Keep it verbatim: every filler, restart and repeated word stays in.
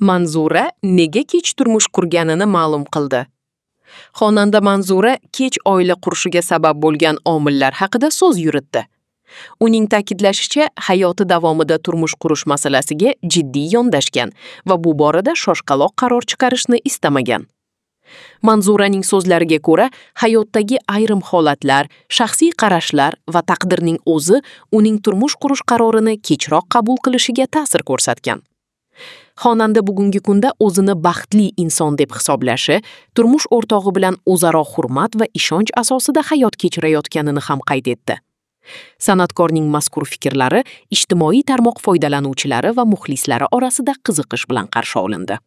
Manzura nega kech turmush qurganini ma'lum qildi. Xonanda Manzura kech oila qurishiga sabab bo'lgan omillar haqida so'z yuritdi. Uning ta'kidlashicha, hayoti davomida turmush qurish masalasiga jiddiy yondashgan va bu borada shoshqaloq qaror chiqarishni istamagan. Manzuraning so'zlariga ko'ra, hayotdagi ayrim holatlar, shaxsiy qarashlar va taqdirning o'zi uning turmush qurish qarorini kechroq qabul qilishiga ta'sir ko'rsatgan. Xonanda bugungi kunda o'zini baxtli inson deb hisoblashi, turmush o'rtog'i bilan o'zaro hurmat va ishonch asosida hayot kechirayotganini ham qayd etdi. San'atkorning mazkur fikrlari ijtimoiy tarmoq foydalanuvchilari va muxlislari orasida qiziqish bilan qarshi olindi.